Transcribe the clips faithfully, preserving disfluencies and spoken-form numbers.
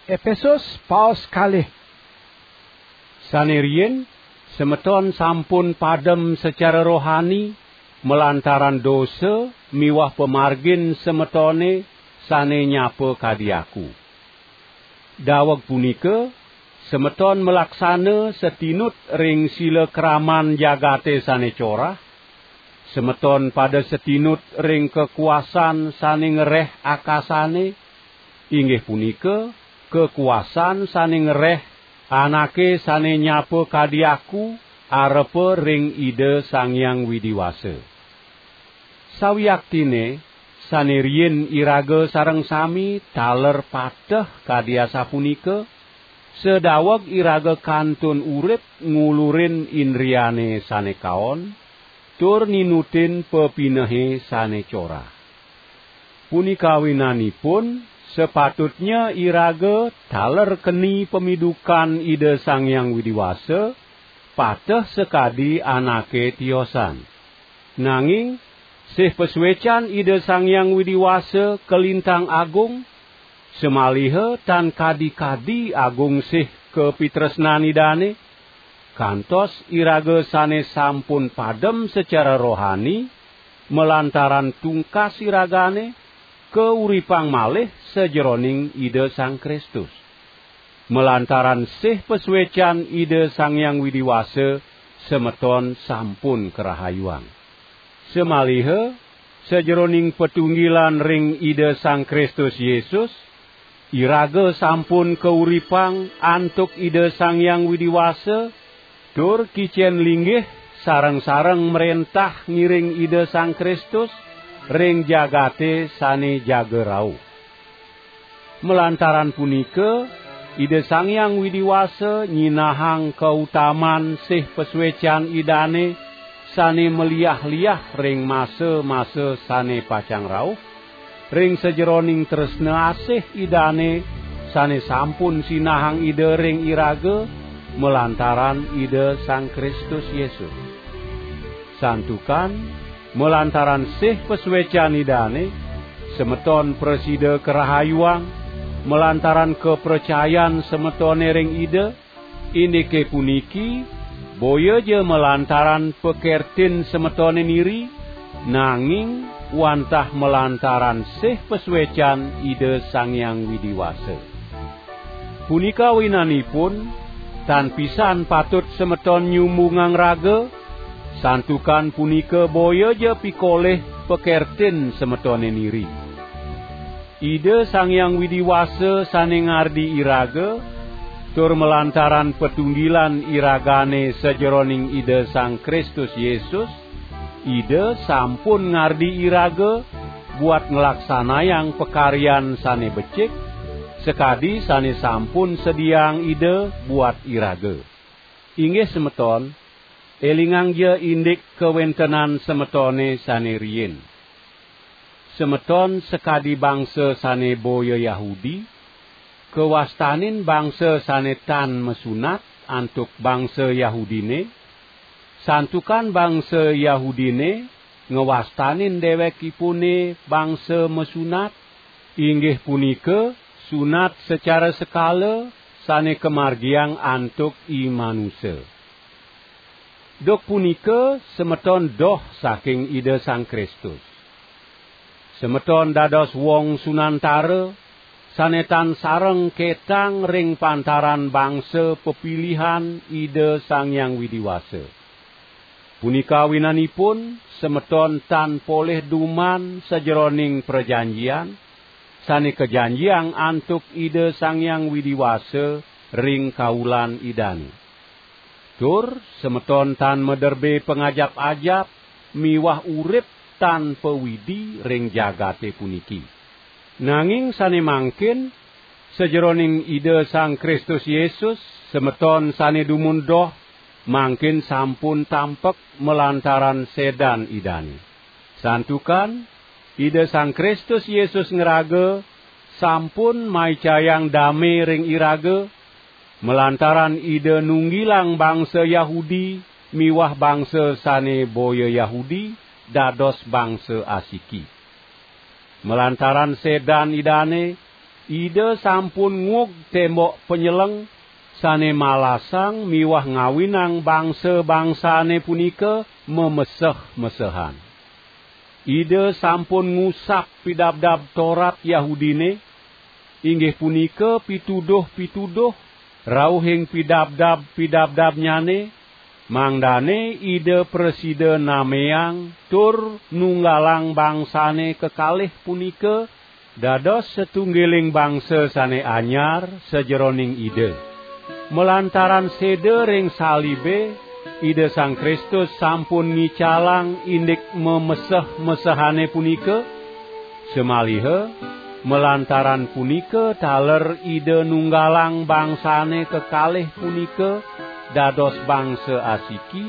Epesus paos kalih. Sane riin, semeton sampun padem secara rohani malantaran dosa miwah pamargin semetone sane nyapa kadi aku. Daweg punika, semeton malaksana satinut ring sila kraman jagate sane corah, semeton pada satinut ring kakuasan sane ngereh akasane, inggih punika kakuasan sane ngereh anake sane nyapa kadi aku arepa ring Ida Sang Hyang Widi Wasa. Sawiaktine sane riin iraga sareng sami taler pateh kadi asapunika, sadaweg iraga kantun urip ngulurin indriane sane kaon, tur ninutin pepinehe sane corah. Punika awinanipun, sapatutnya iraga taler keni pamidukan Ida Sang Hyang Widi Wasa, pateh sakadi anake tiosan. Nanging, sih pasuecan Ida Sang Hyang Widi Wasa kalintang agung, samaliha tan kadi-kadi agung sih kapitresnan Idane, kantos iraga sane sampun padem secara rohani, malantaran tungkas iragane, kauripang malih sajeroning Ida Sang Kristus. Malantaran sih pasuecan Ida Sang Hyang Widi Wasa, semeton sampun karahayuang. Samaliha, sajeroning patunggilan ring Ida Sang Kristus Yesus, iraga sampun kauripang antuk Ida Sang Hyang Widi Wasa, tur kicen linggih sareng-sareng mrentah ngiring Ida Sang Kristus ring jagate sane jaga rauh. Malantaran punika, Ida Sang Hyang Widi Wasa nyinahang kautaman sih pasuecan Idane sane maliah-liah ring masa-masa sane pacang rauh, ring sajeroning tresna asih Idane sane sampun sinahang Ida ring iraga malantaran Ida Sang Kristus Yesus. Santukan, malantaran sih pasuecan Idane, semeton prasida karahayuang, malantaran kapracayan semetone ring Ida, indike puniki, boya ja malantaran pakertin semetone niri, nanging wantah malantaran sih pasuecan Ida Sang Hyang Widi Wasa. Punika awinanipun, tan pisan patut semeton nyumbungang raga, santukan punika boya ja pikolih pakertin semetone niri. Ida Sang Hyang Widi Wasa sane ngardi iraga, tur malantaran patunggilan iragane sajeroning Ida Sang Kristus Yesus, Ida sampun ngardi iraga buat nglaksanayang pakaryan sane becik, sakadi sane sampun sediaang Ida buat iraga. Inggih semeton, elingangja indik kawentenan semetone sane riin. Semeton sakadi bangsa sane boya Yahudi, kawastanin bangsa sane tan masunat antuk bangsa Yahudine, santukan bangsa Yahudine ngawastanin dewekipune bangsa masunat, inggih punika sunat sacara sekala sane kamargiang antuk i manusa. Duk punika semeton doh saking Ida Sang Kristus. Semeton dados wong sunantara, sane tan sareng ketang ring pantaran bangsa pepilihan Ida Sang Hyang Widi Wasa. Punika awinanipun semeton tan polih duman sajeroning prajanjian, sane kajanjiang antuk Ida Sang Hyang Widi Wasa ring kaulan Idane. Tur semeton tan maderbe pangajap-ajap miwah urip tanpa Widi ring jagate puniki. Nanging sane mangkin, sajeroning Ida Sang Kristus Yesus, semeton sane dumun doh, mangkin sampun tampek malantaran sedan Idane. Santukan, Ida Sang Kristus Yesus ngraga sampun maicayang dame ring iraga, malantaran Ida nunggilang bangsa Yahudi miwah bangsa sane boya Yahudi dados bangsa asiki. Malantaran sedan Idane, Ida sampun nguug tembok panyeleng sane malasang miwah ngawinang bangsa-bangsane punika mameseh-mesehan. Ida sampun ngusap pidabdab Torat Yahudine, inggih punika pituduh-pituduh rauhing pidabdab-pidabdabnyane, mangdane Ida prasida nameang tur nunggalang bangsane kekalih punika dados satunggiling bangsa sane anyar sajeroning Ida. Malantaran seda ring salibe, Ida Sang Kristus sampun ngicalang indik mameseh-mesehane punika, samaliha malantaran punika taler Ida nunggalang bangsane kekalih punika dados bangsa asiki,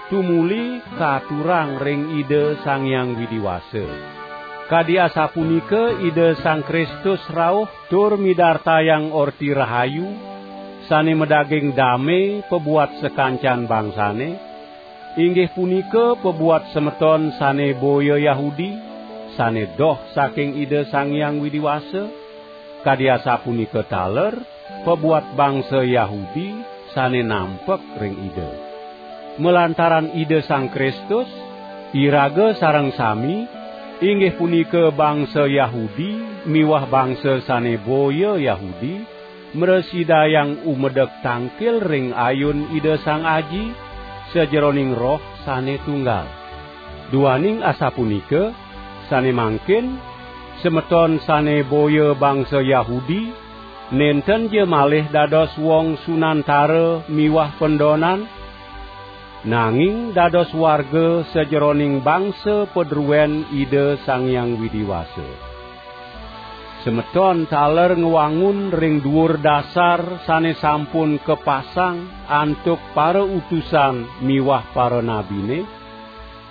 tumuli katurang ring Ida Sang Hyang Widi Wasa. Kadi asapunika Ida Sang Kristus rauh tur midartayang Orti Rahayu sane madaging dame pabuat sakancan bangsane, inggih punika pabuat semeton sane boya Yahudi, sane doh saking Ida Sang Hyang Widi Wasa, kadi asapunika taler pabuat bangsa Yahudi sane nampek ring Ida. Malantaran Ida Sang Kristus, iraga sareng sami, inggih punika bangsa Yahudi miwah bangsa sane boya Yahudi, mrasidayang umedek tangkil ring ayun Ida Sang Aji sajeroning Roh sane tunggal. Duaning asapunika, sane mangkin semeton sane boya bangsa Yahudi, nenten ja malih dados wong sunantara miwah pendonan, nanging dados warga sajeroning bangsa padruen Ida Sang Hyang Widi Wasa. Semeton taler ngwangun ring duur dasar sane sampun kapasang antuk para utusan miwah para nabine,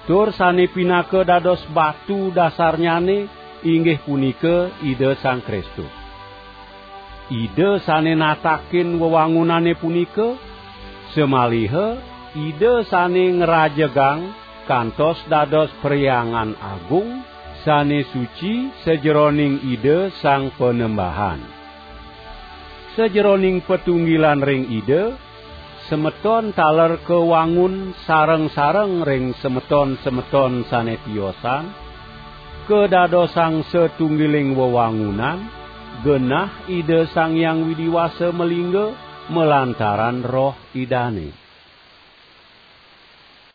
tur sane pinaka dados batu dasarnyane, inggih punika Ida Sang Kristus. Ida sane natakin wewangunane punika, samaliha Ida sane ngrajegang kantos dados perhyangan agung, sane suci sajeroning Ida Sang Panembahan. Sajeroning patunggilan ring Ida, semeton taler kawangun sareng-sareng ring semeton-semeton sane tiosan, kadadosang satunggiling wewangunan, genah Ida Sang Hyang Widi Wasa malingga malantaran Roh Idane.